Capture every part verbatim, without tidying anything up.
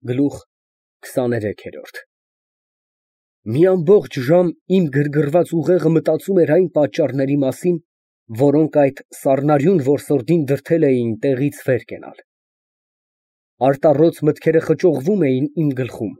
Գլուխ քսաներեք։ Մի ամբողջ ժամ իմ գրգռված ուղեղը մտածում էր այն պատճառների մասին, որոնք այդ սառնարյուն որսորդին դրդել էին տեղից վեր կենալ։ Արտառոց մտքերը խճողվում էին իմ գլխում,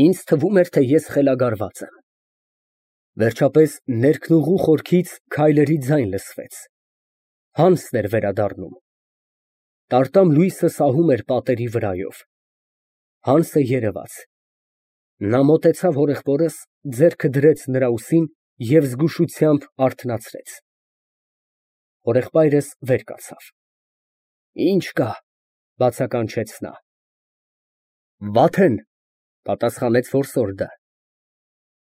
ինձ թվում էր, թե ես խելագարված եմ։ Վերջապես ներքնուղու խորքից քայլերի ձայն լսվեց, Հանսն էր վերադառնում։ Տարտամ լույսը սահում էր պատերի վրայով, Հանսը երևաց։ Նա մոտեցավ հորեղբորս, ձեռքը դրեց նրա ուսին և զգուշությամբ արթնացրեց։ Հորեղբայրս վեր կացավ։ Ի՞նչ կա, բացականչեց նա։ Վաթ են, պատասխանեց որսորդը։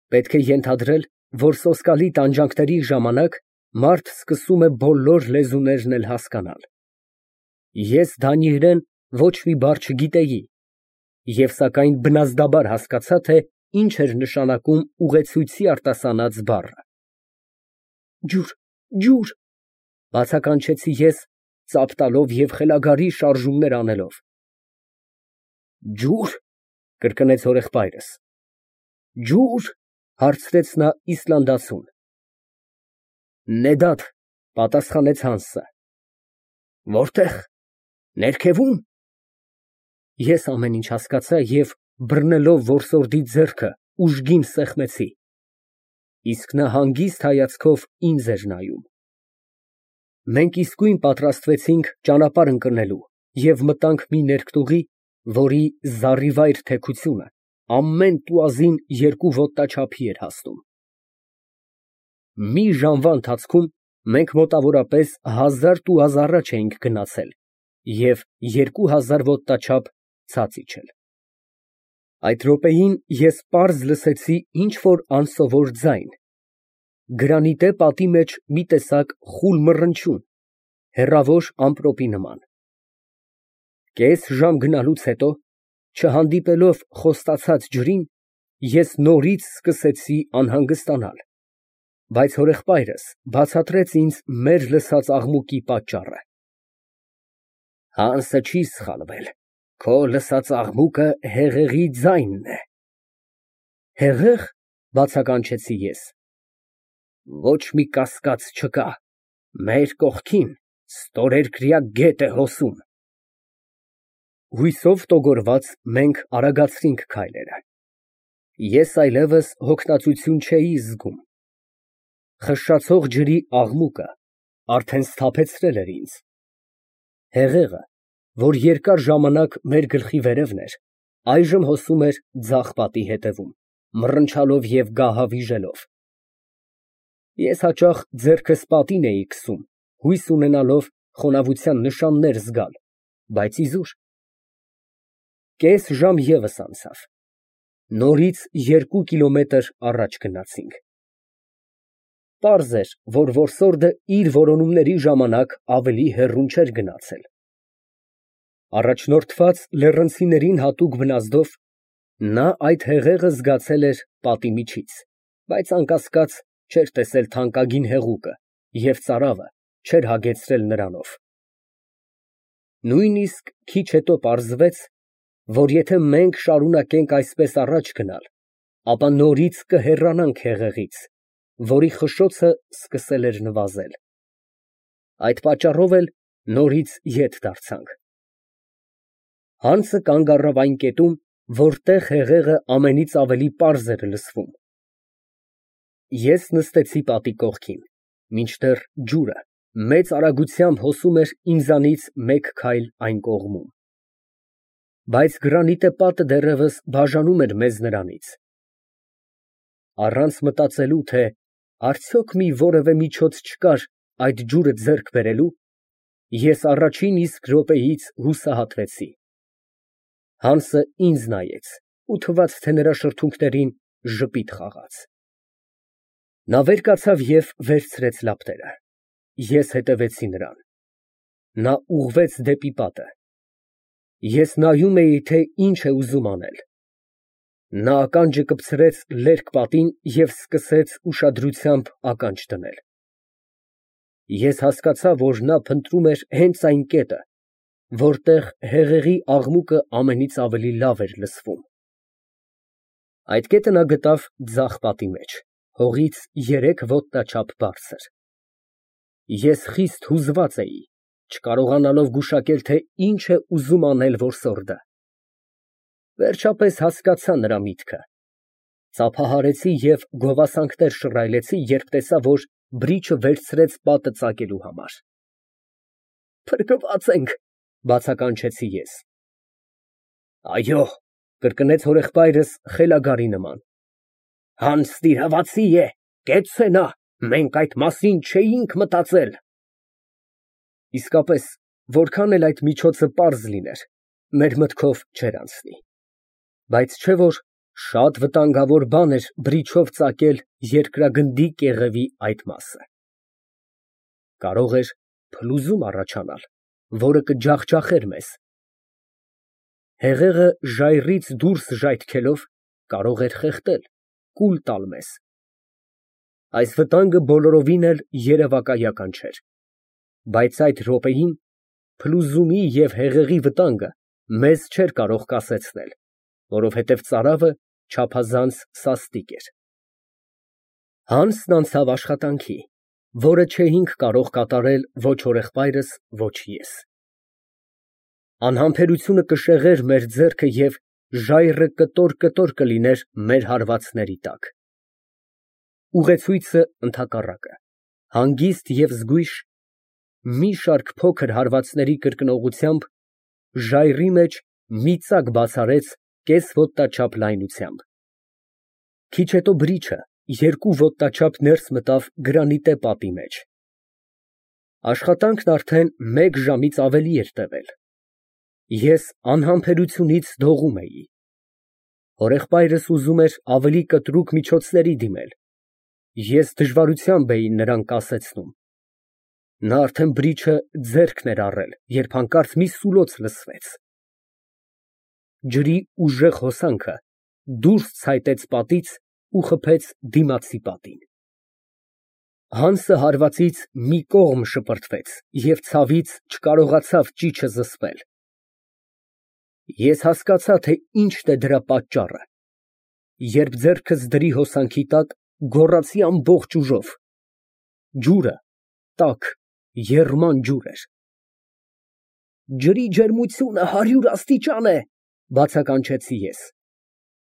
Պետք է ենթադրել, որ սոսկալի տանջանքների ժամանակ մարդ սկսում է բոլոր լեզուներն էլ հասկանալ։ Ես դանիերեն ոչ մի բառ չգիտեի և սակայն բնազդաբար հասկացա, թե ինչ էր նշանակում ուղեցույցի արտասանած բառը։ Ջուր, ջուր, բացականչեցի ես, ծափ տալով և խելագարի շարժումներ անելով։ Ջո՞ւր, կրկնեց հորեղբայրս։ Ջուր, հարցրեց նա իսլանդացուն։ Նեդադ, պատասխանեց Հանսը։ Որտե՞ղ, ներքևո՞ւմ։ Ես ամեն ինչ հասկացա և բռնելով որսորդի ձեռքը ուժգին սեղմեցի, իսկ նա հանգիստ հայացքով ինձ էր նայում։ Մենք իսկույն պատրաստվեցինք ճանապարհ ընկնելու և մտանք մի ներքնուղի, որի զառիվայր թեքությունը ամեն տուազին երկու ոտնաչափի էր հասնում։ Մի ժամվա ընթացքում մենք մոտավորապես հազար տուազ առաջ էինք գնացել և երկու հազար ոտնաչափ ցած իջել։ Այդ րոպեին ես պարզ լսեցի ինչ֊որ անսովոր ձայն, գրանիտե պատի մեջ մի տեսակ խուլ մռնչյուն, հեռավոր ամպրոպի նման։ Կես ժամ գնալուց հետո, չհանդիպելով խոստացած ջրին, ես նորից սկսեցի անհանգստանալ, բայց հորեղբայրս բացատրեց ինձ մեր լսած աղմուկի պատճառը։ Հանսը չի սխալվել, քո լսած աղմուկը հեղեղի ձայնն է։ Հեղե՞ղ, բացականչեցի ես։ Ոչ մի կասկած չկա, մեր կողքին ստորերկրյա գետ է հոսում։ Հույսով տոգորված մենք արագացրինք քայլերը։ Ես այլևս հոգնածություն չէի զգում։ Խշշացող ջրի աղմուկը արդեն սթափեցրել էր ինձ։ Հեղեղը, որ երկար ժամանակ մեր գլխի վերևն էր, այժմ հոսում էր ձախ պատի հետևում, մռնչալով և գահավիժելով։ Ես հաճախ ձեռքս պատին էի քսում, հույս ունենալով խոնավության նշաններ զգալ, բայց իզուր։ Կես ժամ ևս անցավ, նորից երկու կիլոմետր առաջ գնացինք։ Պարզ էր, որ որսորդը իր որոնումների ժամանակ ավելի հեռուն չէր գնացել։ Առաջնորդված լեռնցիներին հատուկ բնազդով, նա այդ հեղեղը զգացել էր պատի միջից, բայց անկասկած չէր տեսել թանկագին հեղուկը և ծարավը չէր հագեցրել նրանով։ Նույնիսկ քիչ հետո պարզվեց, որ եթե մենք շարունակենք այսպես առաջ գնալ, ապա նորից կհեռանանք հեղեղից, որի խշշոցը սկսել էր նվազել։ Այդ պատճառով էլ նորից ետ դարձանք։ Հանսը կանգ առավ այն կետում, որտեղ հեղեղը ամենից ավելի պարզ էր լսվում։ Ես նստեցի պատի կողքին, մինչդեռ ջուրը մեծ արագությամբ հոսում էր ինձանից մեկ քայլ այն կողմում։ Բայց գրանիտե պատը դեռևս բաժանում էր մեզ նրանից։ Առանց մտածելու, թե արդյոք մի որևէ միջոց չկար այդ ջուրը ձեռք բերելու, ես առաջին իսկ րոպեից հուսահատվեցի։ Հանսը ինձ նայեց ու թվաց, թե նրա շրթունքներին ժպիտ խաղաց։ Նա վեր կացավ և վերցրեց լապտերը։ Ես հետևեցի նրան։ Նա ուղղվեց դեպի պատը։ Ես նայում էի, թե ինչ է ուզում անել։ Նա ականջը կպցրեց լերկ պատին և սկսեց ուշադրությամբ ականջ դնել։ Ես հասկացա, որ նա փնտրում էր հենց այն կետը, որտեղ հեղեղի աղմուկը ամենից ավելի լավ էր լսվում։ Այդ կետը նա գտավ ձախ պատի մեջ, հողից երեք ոտնաչափ բարձր։ Ես խիստ հուզված էի, չկարողանալով գուշակել, թե ինչ է ուզում անել որսորդը։ Վերջապես հասկացա նրա միտքը։ Ծափահարեցի և գովասանքներ շռայլեցի, երբ տեսա, որ բրիչը վերցրեց պատը ծակելու համար։ Փրկված ենք, բացականչեցի ես։ Այո, կրկնեց հորեղբայրս խելագարի նման։ Հանց տիրահավացի է, կեցցե նա, մենք այդ մասին չէինք մտածել։ Իսկապես, որքան էլ այդ միջոցը պարզ լիներ, մեր մտքով չէր անցնի։ Բայց չէ որ շատ վտանգավոր բան էր բրիչով ծակել երկրագնդի կեղևի այդ մասը։ Կարող էր փլուզում առաջանալ, որը կջախջախեր մեզ։ Հեղեղը ժայռից դուրս ժայթքելով կարող էր խեղդել, կուլ տալ մեզ։ Այս վտանգը բոլորովին էլ երևակայական չէր, բայց այդ րոպեին փլուզումի և հեղեղի վտանգը մեզ չէր կարող կասեցնել, որովհետև ծարավը չափազանց սաստիկ էր։ Հանսն անցավ աշխատանքի, որը չէինք կարող կատարել ոչ հորեղբայրս, ոչ ես։ Անհամբերությունը կշեղեր մեր ձեռքը և ժայռը կտոր֊կտոր կլիներ մեր հարվածների տակ։ Ուղեցույցը ընդհակառակը, հանգիստ և զգույշ, մի շարք փոքր հարվածների կրկնողությամբ, ժայռի մեջ մի ծակ բաց արեց կես ոտնաչափ լայնությամբ։ Քիչ հետո բրիչը երկու ոտնաչափ ներս մտավ գրանիտե պատի մեջ։ Աշխատանքն արդեն մեկ ժամից ավելի էր տևել։ Ես անհամբերությունից դողում էի։ Հորեղբայրս ուզում էր ավելի կտրուկ միջոցների դիմել, ես դժվարությամբ էի նրան կասեցնում։ Նա արդեն բրիչը ձեռքն էր առել, երբ հանկարծ մի սուլոց լսվեց։ Ջրի ուժեղ հոսանքը դուրս ցայտեց պատից ու խփեց դիմացի պատին։ Հանսը հարվածից մի կողմ շպրտվեց և ցավից չկարողացավ ճիչը զսպել։ Ես հասկացա, թե ինչն է դրա պատճառը, երբ ձեռքս դրի հոսանքի տակ, գոռացի ամբողջ ուժով։ Ջուրը տաք, եռման ջուր էր։ Ջրի ջերմությունը հարյուր աստիճան է, բացականչեցի ես։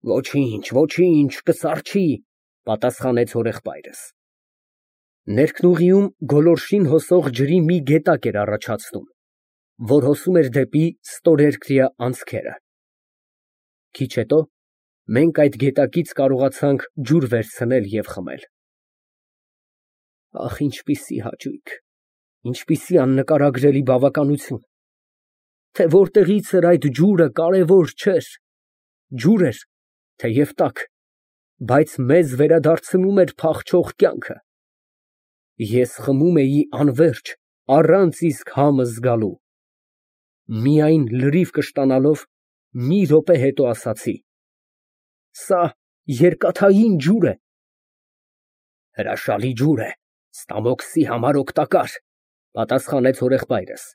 Ոչինչ, ոչինչ, կսառչի, պատասխանեց հորեղբայրս։ Ներքնուղիում գոլորշին հոսող ջրի մի գետակ էր առաջացնում, որ հոսում էր դեպի ստորերկրյա անցքերը։ Քիչ հետո մենք այդ գետակից կարողացանք ջուր վերցնել և խմել։ Ահ, ինչպիսի հաճույք, ինչպիսի աննկարագրելի բավականություն, թե որտեղից էր այդ ջուրը կարևոր չէր, ջուր էր, թեև տաք, բայց մեզ վերադարձնում էր փախչող կյանքը։ Ես խմում էի անվերջ, առանց իսկ համը զգալու։ Միայն լրիվ կշտանալով, մի րոպե հետո ասացի. «Սա երկաթային ջուր է»։ Հրաշալի ջուր է, ստամոքսի համար օգտակար, պատասխանեց հորեղբայրս։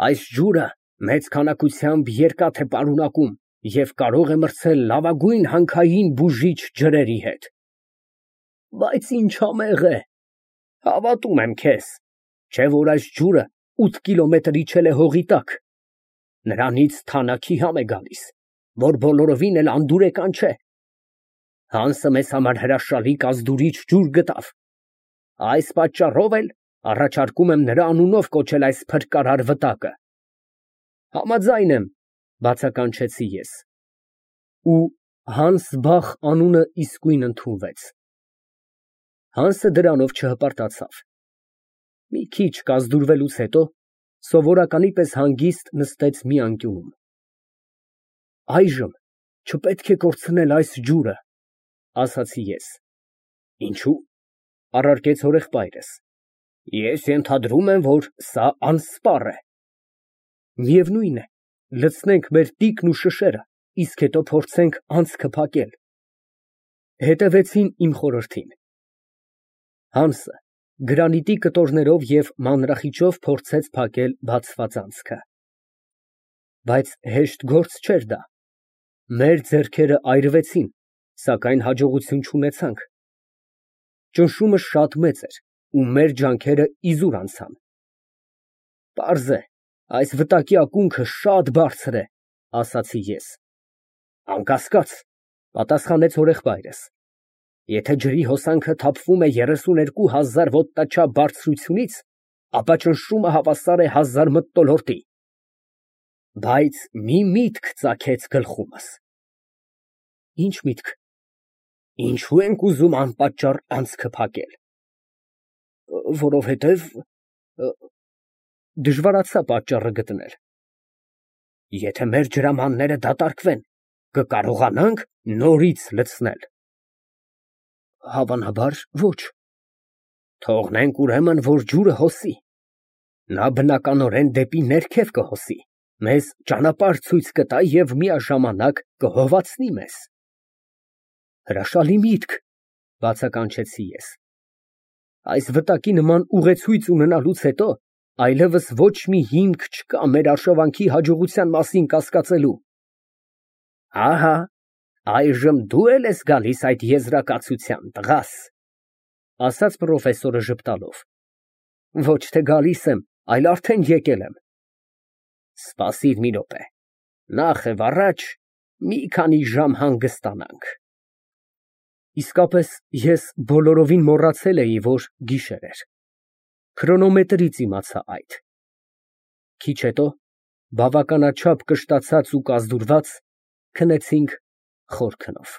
Այս ջուրը մեծ քանակությամբ երկաթ է պարունակում և կարող է մրցել լավագույն հանքային բուժիչ ջրերի հետ։ Բայց ինչ համեղ է։ Հավատում եմ քեզ, չէ որ այս ջուրը ութ կիլոմետր իջել է հողի տակ։ Նրանից թանաքի համ է գալիս, որ բոլորովին էլ անդուրեկան չէ։ Հանսը մեզ համար հրաշալի կազդուրիչ ջուր գտավ։ Այս պատճառով էլ առաջարկում եմ նրա անունով կոչել այս փրկարար վտակը։ Համաձայն եմ, բացականչեցի ես։ Ու Հանսբախ անունը իսկույն ընդունվեց։ Հանսը դրանով չհպարտացավ։ Մի քիչ կազդուրվելուց հետո սովորականի պես հանգիստ նստեց մի անկյունում։ Այժմ չպետք է կորցնել այս ջուրը, ասացի ես։ Ինչո՞ւ, առարկեց հորեղբայրս։ Ես ենթադրում եմ, որ սա անսպառ է։ Միևնույն է, լցնենք մեր տիկն ու շշերը, իսկ հետո փորձենք անցքը փակել։ Հետևեցին իմ խորհրդին։ Հանսը գրանիտի կտորներով և մանրախիճով փորձեց փակել բացված անցքը։ Բայց հեշտ գործ չէր դա։ Մեր ձեռքերը այրվեցին, սակայն հաջողություն չունեցանք։ Ճնշումը շատ մեծ էր ու մեր ջանքերը իզուր անցան։ Պարզ է, այս վտակի ակունքը շատ բարձր է, ասացի ես։ Անկասկած, պատասխանեց հորեղբայրս։ Եթե ջրի հոսանքը թափվում է երեսուներկու հազար ոտնաչափ բարձրությունից, ապա ճնշումը հավասար է հազար մթնոլորտի։ Բայց մի միտք ծագեց գլխումս։ Ինչ միտք։ Ինչո՞ւ ենք ուզում անպատճառ անցքը փակել։ Որովհետև դժվարացա պատճառը գտնել։ Եթե մեր ջրամանները դատարկվեն, կկարողանա՞նք նորից լցնել։ Հավանաբար ոչ։ Թողնենք ուրեմն, որ ջուրը հոսի։ Նա բնականորեն դեպի ներքև կհոսի, մեզ ճանապարհ ցույց կտա և միաժամանակ կհովացնի մեզ։ Հրաշալի միտք, բացականչեցի ես։ Այս վտակի նման ուղեցույց ունենալուց հետո այլևս ոչ մի հիմք չկա մեր արշավանքի հաջողության մասին կասկածելու։ Ահա, այժմ դու էլ ես գալիս այդ եզրակացության, տղաս, ասաց պրոֆեսորը ժպտալով։ Ոչ թե գալիս եմ, այլ արդեն եկել եմ։ Սպասիր մի րոպե, նախ և առաջ մի քանի ժամ հանգստանանք։ Իսկապես, ես բոլորովին մոռացել էի, որ գիշեր էր։ Քրոնոմետրից իմացա այդ։ Քիչ հետո, բավականաչափ կշտացած ու կազդուրված, քնեցինք խոր քնով։